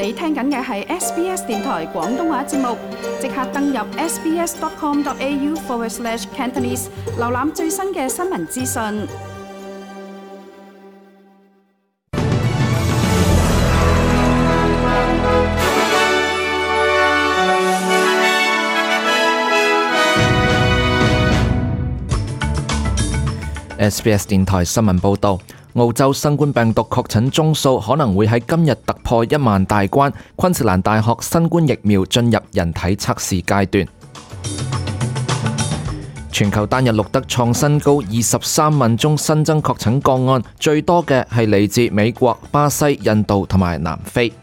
你聽緊嘅係 SBS 電台廣東話節目，即刻登入 sbs.com.au/Cantonese 瀏覽最新嘅新聞資訊。SBS 電台新聞報導，澳洲新冠病毒確診宗數可能會喺今日突破1萬大關。昆士蘭大學新冠疫苗進入人體測試階段。全球單日錄得創新高23萬宗新增確診個案，最多嘅係嚟自美國、巴西、印度同埋南非。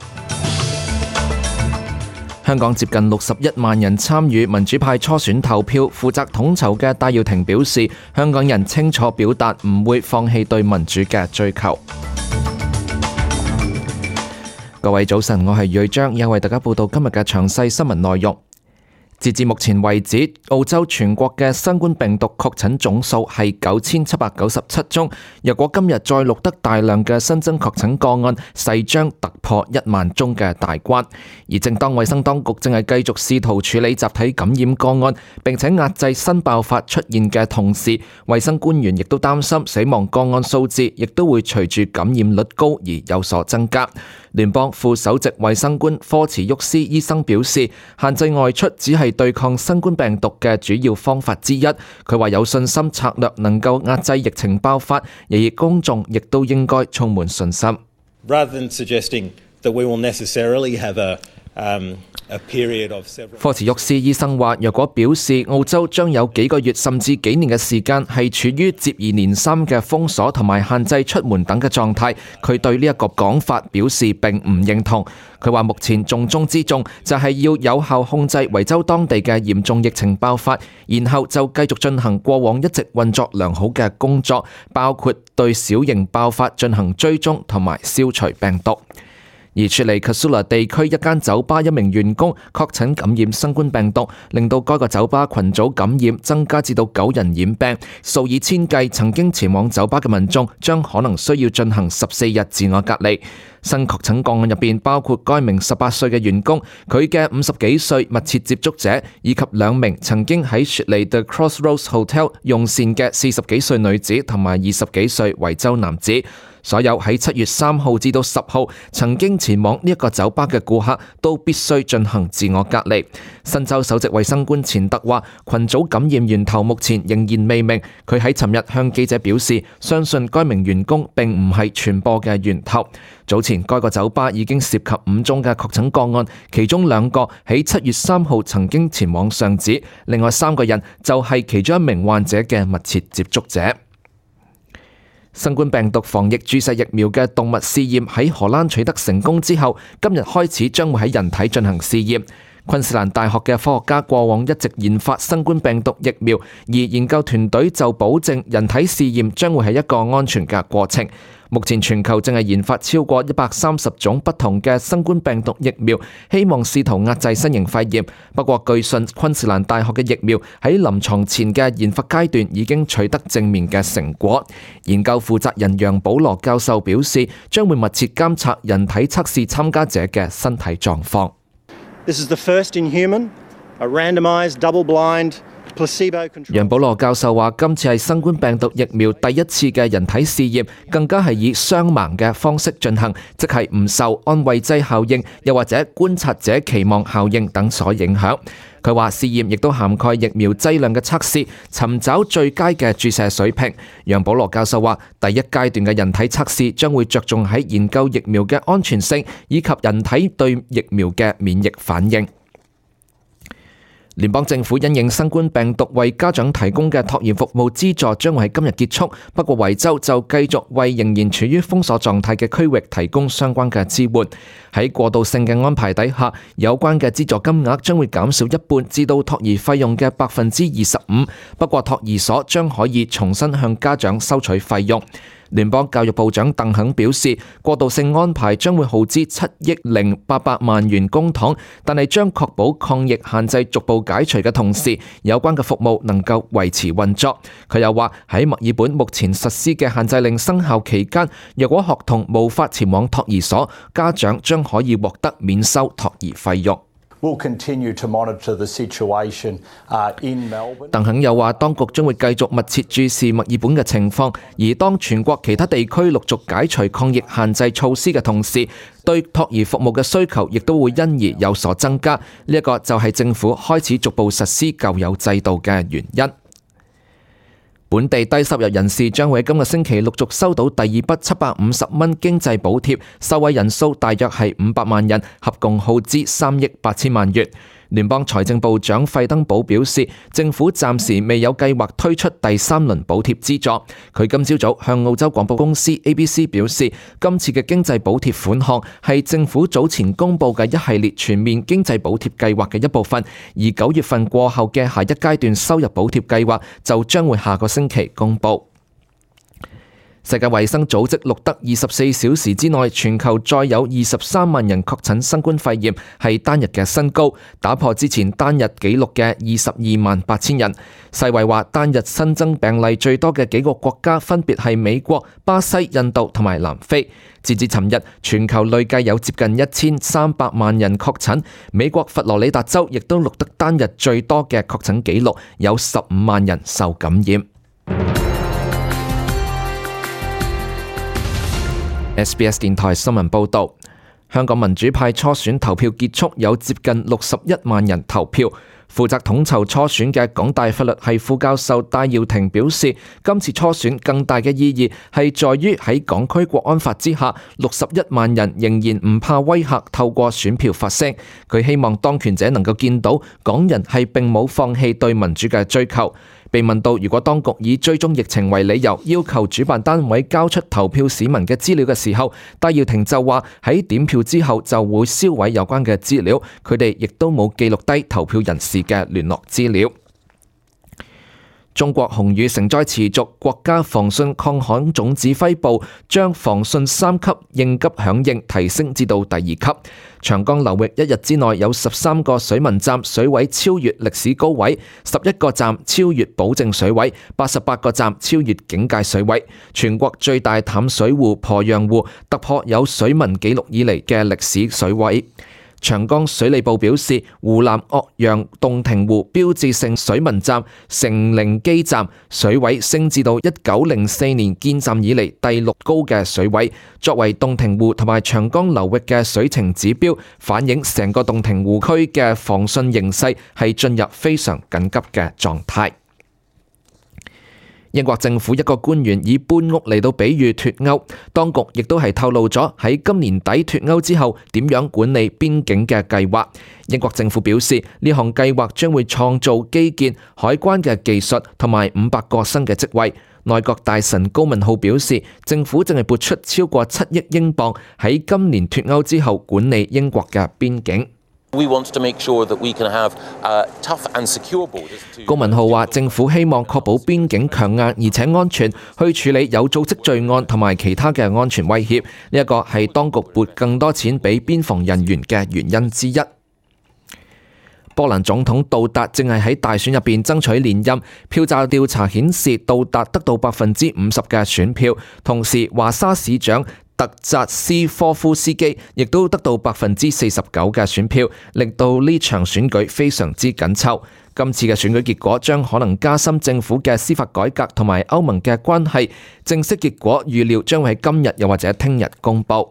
香港接近61萬人參與民主派初選投票，負責統籌嘅戴耀廷表示，香港人清楚表達唔會放棄對民主嘅追求。各位早晨，我係瑞章，又為大家報道今日嘅詳細新聞內容。截至目前為止，澳洲全國嘅新冠病毒確診總數係9797宗。若果今日再錄得大量嘅新增確診個案，勢將突破1萬宗嘅大關。而正當衛生當局正係繼續試圖處理集體感染個案，並且壓制新爆發出現嘅同時，衛生官員亦都擔心死亡個案數字亦都會隨住感染率高而有所增加。聯邦副首席衛生官科茨沃斯醫生表示，限制外出只係對抗新冠病毒嘅主要方法之一。佢話有信心策略能夠壓制疫情爆發，而公眾亦都應該充滿信心。Rather than suggesting that we will necessarily have a period of several... 科茨沃斯醫生話，若果表示澳洲將有幾個月甚至幾年嘅時間係處於接二連三嘅封鎖同埋限制出門等嘅狀態，佢對呢一個講法表示並唔認同。佢話目前重中之重就係要有效控制維州當地嘅嚴重疫情爆發，然後就繼續進行過往一直運作良好嘅工作，包括對小型爆發進行追蹤同埋消除病毒。而雪梨 Casula 地區一間酒吧一名員工確診感染新冠病毒，令到該個酒吧群組感染增加至到9人染病，數以千計曾經前往酒吧嘅民眾將可能需要進行14日自我隔離。新確診個案入邊包括該名18歲嘅員工、佢嘅50幾歲密切接觸者，以及2名曾經喺雪梨 The Crossroads Hotel 用膳嘅40幾歲女子同埋20幾歲維州男子。所有喺7月3號至到10號曾經前往呢一個酒吧嘅顧客都必須進行自我隔離。新州首席衛生官錢德話，群組感染源頭目前仍然未明。佢喺尋日向記者表示，相信該名員工並唔係傳播嘅源頭。早前該個酒吧已經涉及5宗嘅確診個案，其中2個喺7月3號曾經前往上址，另外3個人就係其中一名患者嘅密切接觸者。新冠病毒防疫注射疫苗嘅動物試驗喺荷蘭取得成功之後，今日開始將會喺人體進行試驗。昆士蘭大學嘅科學家過往一直研發新冠病毒疫苗，而研究團隊就保證人體試驗將會係一個安全嘅過程。目前全球正係研發超過130種不同嘅新冠病毒疫苗，希望試圖壓制新型肺炎。不過據信昆士蘭大學嘅疫苗喺臨床前嘅研發階段已經取得正面嘅成果。研究負責人楊保羅教授表示，將會密切監察人體測試參加者嘅身體狀況。This is the first in human, a randomized, double-blind, placebo-controlled... 楊保羅教授話，今次係新冠病毒疫苗第一次嘅人體試驗，更加係以雙盲嘅方式進行，即係唔受安慰劑效應，又或者觀察者期望效應等所影響。佢話試驗亦都涵蓋疫苗劑量嘅測試，尋找最佳嘅注射水平。楊保羅教授話，第一階段嘅人體測試將會着重喺研究疫苗嘅安全性，以及人體對疫苗嘅免疫反應。聯邦政府因應新冠病毒為家長提供嘅托兒服務資助將會喺今日結束，不過維州就繼續為仍然處於封鎖狀態嘅區域提供相關嘅支援。喺過渡性嘅安排底下，有關嘅資助金額將會減少一半至到托兒費用嘅25%，不過托兒所將可以重新向家長收取費用。聯邦教育部長鄧肯表示，過渡性安排將會耗資7億800萬元公帑，但係將確保抗疫限制逐步解除嘅同時，有關嘅服務能夠維持運作。佢又話喺墨爾本目前實施嘅限制令生效期間，若果學童無法前往托兒所，家長將可以獲得免收托兒費用。鄧肯又話，當局將會繼續密切注視墨爾本嘅情況，而當全國其他地區陸續解除抗疫限制措施嘅同時，對托兒服務嘅需求亦都會因而有所增加。呢一個就係政府開始逐步實施舊有制度嘅原因。本地低收入人士將會喺今個星期陸續收到第二筆750蚊經濟補貼，受惠人數大約係500萬人，合共耗資3億8千萬元。聯邦財政部長費登堡表示，政府暫時未有計劃推出第3輪補貼資助。佢今朝早向澳洲廣播公司 ABC 表示，今次嘅經濟補貼款項係政府早前公布嘅一系列全面經濟補貼計劃嘅一部分，而9月份過後嘅下一階段收入補貼計劃就將會下個星期公布。世界衛生組織錄得24小時之內全球再有23萬人確診新冠肺炎，係單日嘅新高，打破之前單日紀錄嘅22萬8千人。世衛話單日新增病例最多嘅幾個國家分別係美國、巴西、印度同埋南非。截至尋日，全球累計有接近1300萬人確診，美國佛羅里達州亦都錄得單日最多嘅確診紀錄，有15萬人受感染。SBS 電台新聞報導，香港民主派初選投票結束，有接近61萬人投票。負責統籌初選嘅港大法律系副教授戴耀廷表示，今次初選更大嘅意義係在於喺港區國安法之下，61萬人仍然唔怕威嚇，透過選票發聲。佢希望當權者能夠見到港人係並冇放棄對民主嘅追求。被問到如果當局以追蹤疫情為理由，要求主辦單位交出投票市民嘅資料嘅時候，戴耀廷就話喺點票之後就會銷毀有關嘅資料，佢哋亦都冇記錄低投票人士嘅聯絡資料。中國紅雨成災持續，國家防汛抗旱總指揮部將防汛3級應急響應提升至到第2級。長江流域一日之內有13個水文站水位超越歷史高位，11個站超越保證水位，88個站超越警戒水位。全國最大淡水湖鄱陽湖突破有水文記錄以嚟嘅歷史水位。長江水利部表示，湖南岳陽洞庭湖標誌性水文站成陵基站水位升至到1904年建站以嚟第6高嘅水位，作為洞庭湖同埋長江流域嘅水情指標，反映成個洞庭湖區嘅防汛形勢係進入非常緊急嘅狀態。英國政府一個官員以搬屋嚟到比喻脫歐，當局亦都係透露咗喺今年底脫歐之後點樣管理邊境嘅計劃。英國政府表示，呢項計劃將會創造基建、海關嘅技術同埋500個新嘅職位。內閣大臣高文浩表示，政府正係撥出超過7億英鎊喺今年脫歐之後管理英國嘅邊境。高文浩話：政府希望確保邊境強硬而且安全，去處理有組織罪案同埋其他嘅安全威脅。呢一個係當局撥更多錢俾邊防人員嘅原因之一。波蘭總統杜達正係喺大選入邊爭取連任，票站調查顯示杜達得到50%嘅選票，同時華沙市長特扎斯科夫斯基亦都得到49%嘅選票，令到呢場選舉非常之緊湊。今次嘅選舉結果將可能加深政府嘅司法改革同埋歐盟嘅關係。正式結果預料將會喺今日又或者聽日公佈。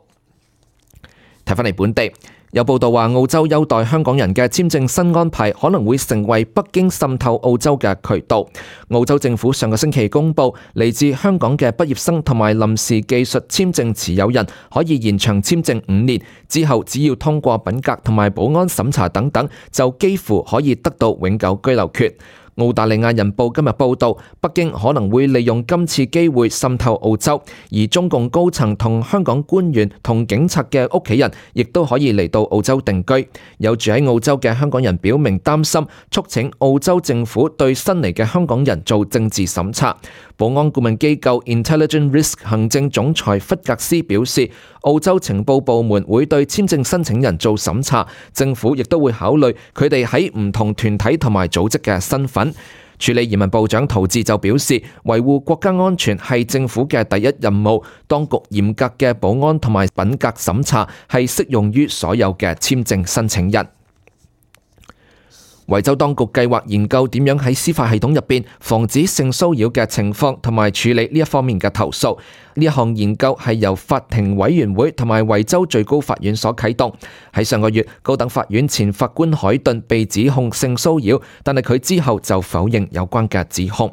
睇返嚟本地，有報道話澳洲優待香港人嘅簽證新安排可能會成為北京滲透澳洲嘅渠道。澳洲政府上個星期公佈，嚟自香港嘅畢業生同埋臨時技術簽證持有人可以延長簽證5年，之後只要通過品格同埋保安審查等等，就幾乎可以得到永久居留權。澳大利亞人報今日報道，北京可能會利用今次機會滲透澳洲，而中共高層同香港官員同警察嘅屋企人亦都可以嚟到澳洲定居。有住喺澳洲嘅香港人表明擔心，促請澳洲政府對新嚟嘅香港人做政治審查。保安顧問機構 Intelligent Risk 行政總裁弗格斯表示，澳洲情報部門會對簽證申請人做審查，政府亦都會考慮佢哋喺唔同團體同埋組織嘅身份。處理移民部長陶治就表示，維護國家安全係政府嘅第一任務，當局嚴格嘅保安同埋品格審查係適用於所有嘅簽證申請人。維州當局計劃研究點樣喺司法系統入邊防止性騷擾嘅情況，同埋處理呢一方面嘅投訴。呢一項研究係由法庭委員會同埋維州最高法院所啟動。喺上個月，高等法院前法官海頓被指控性騷擾，但係佢之後就否認有關嘅指控。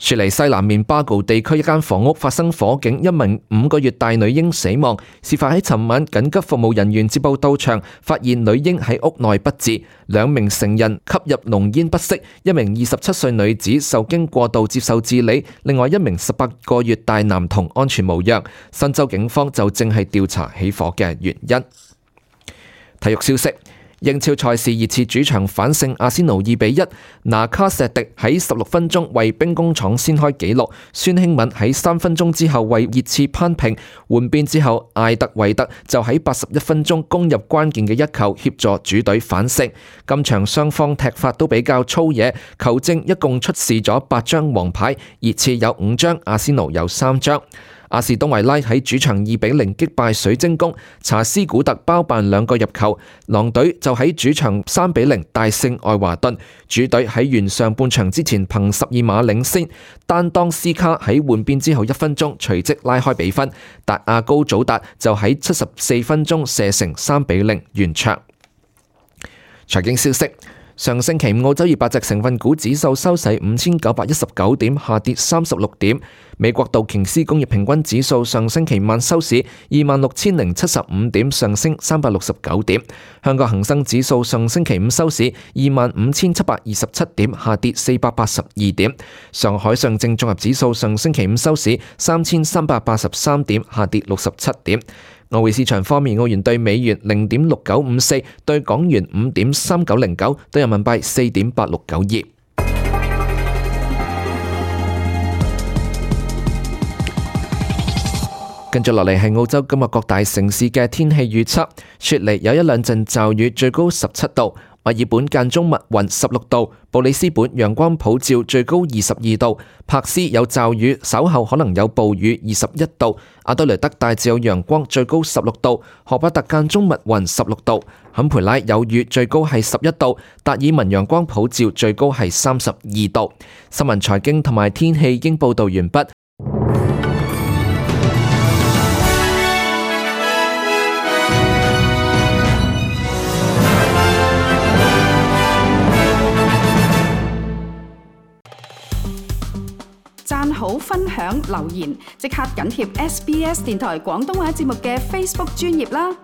雪梨西南面巴高地區一間房屋發生火警，一名5個月大女嬰死亡。事發喺尋晚，緊急服務人員接報到場，發現女嬰喺屋內不治，2名成人吸入濃煙不適，一名27歲女子受驚過度接受治理，另外一名18個月大男童安全無恙。新州警方就正係調查起火嘅原因。體育消息。英超賽事熱刺主場反勝阿仙奴2-1，拿卡錫迪喺16分鐘為兵工廠先開紀錄，孫興敏喺3分鐘之後為熱刺扳平，換邊之後艾特維特就喺81分鐘攻入關鍵嘅一球，協助主隊反勝。今場雙方踢法都比較粗野，球證一共出示咗8張黃牌，熱刺有5張，阿仙奴有3張。阿士東維拉喺主場2-0擊敗水晶宮，查斯古特包辦2個入球，狼隊就喺主場3-0大勝愛華頓。主隊喺完上半場之前憑12碼領先，丹當斯卡喺換邊之後1分鐘隨即拉開比分，達亞高祖達就喺74分鐘射成3-0完場。財經消息。上星期五澳洲200隻成分股指數收市5919點，下跌36點。美國道瓊斯工業平均指數上星期晚收市26075點，上升369點。香港恒生指數上星期五收市25727點，下跌482點。上海上證綜合指數上星期五收市3383點，下跌67點。外匯市場方面，澳元兌美元0.6954，兌港元5.3909，兌人民幣4.8692。跟住落嚟係澳洲今日各大城市嘅天氣預測。雪梨有一兩陣驟雨，最高17度；墨爾本間中密雲16度；布里斯本陽光普照，最高22度；柏斯有驟雨，稍後可能有暴雨21度；阿德雷德大致有陽光，最高16度；荷巴特間中密雲16度；坎培拉有雨，最高係11度；達爾文陽光普照，最高係32度。新聞財經同埋天氣已經報道完畢。讚好、分享、留言，即刻緊貼SBS 電台廣東話節目嘅 Facebook 專頁啦！